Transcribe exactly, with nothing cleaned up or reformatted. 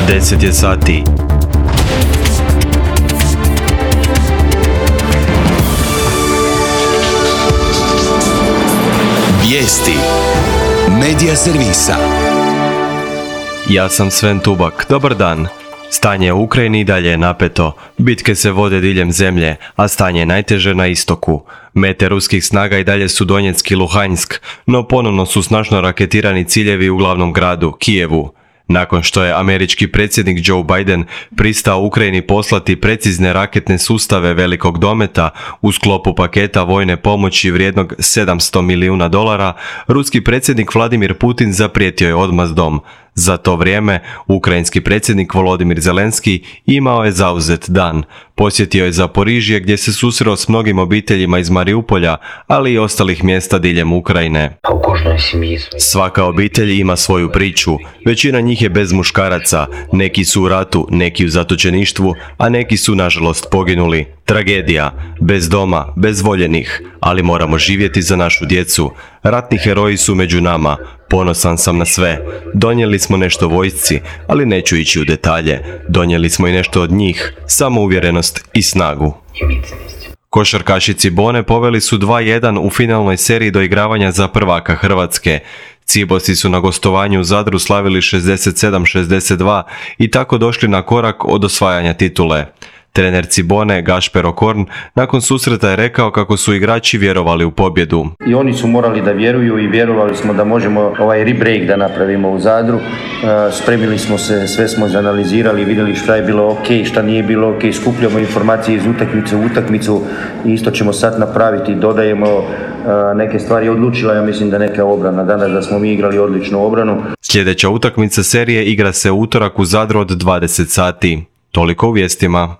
deset je sati. Vijesti Medija servisa. Ja sam Sven Tubak. Dobar dan. Stanje u Ukrajini i dalje je napeto. Bitke se vode diljem zemlje, a stanje je najteže na istoku. Mete ruskih snaga i dalje su Donjeck i Luhansk, no ponovno su snažno raketirani ciljevi u glavnom gradu, Kijevu. Nakon što je američki predsjednik Joe Biden pristao Ukrajini poslati precizne raketne sustave velikog dometa u sklopu paketa vojne pomoći vrijednog sedamsto milijuna dolara, ruski predsjednik Vladimir Putin zaprijetio je odmazdom. Za to vrijeme, ukrajinski predsjednik Volodimir Zelenski imao je zauzet dan. Posjetio je Zaporižje gdje se susreo s mnogim obiteljima iz Mariupolja, ali i ostalih mjesta diljem Ukrajine. Svaka obitelj ima svoju priču. Većina njih je bez muškaraca. Neki su u ratu, neki u zatočeništvu, a neki su nažalost poginuli. Tragedija. Bez doma, bez voljenih. Ali moramo živjeti za našu djecu. Ratni heroji su među nama. Ponosan sam na sve. Donijeli smo nešto vojsci, ali neću ići u detalje. Donijeli smo i nešto od njih, samouvjerenost i snagu. Košarkaši Cibone poveli su dva jedan u finalnoj seriji doigravanja za prvaka Hrvatske. Cibosi su na gostovanju u Zadru slavili šezdeset sedam šezdeset dva i tako došli na korak od osvajanja titule. Trener Cibone, Gašper Okorn, nakon susreta je rekao kako su igrači vjerovali u pobjedu. I oni su morali da vjeruju i vjerovali smo da možemo ovaj rebreak da napravimo u Zadru. Spremili smo se, sve smo izanalizirali, vidjeli šta je bilo ok, šta nije bilo ok, skupljamo informacije iz utakmice u utakmicu i isto ćemo sad napraviti, dodajemo neke stvari. Odlučila, ja mislim da neka obrana danas, da smo mi igrali odličnu obranu. Sljedeća utakmica serije igra se u utorak u Zadru od dvadeset sati. Toliko u vijestima.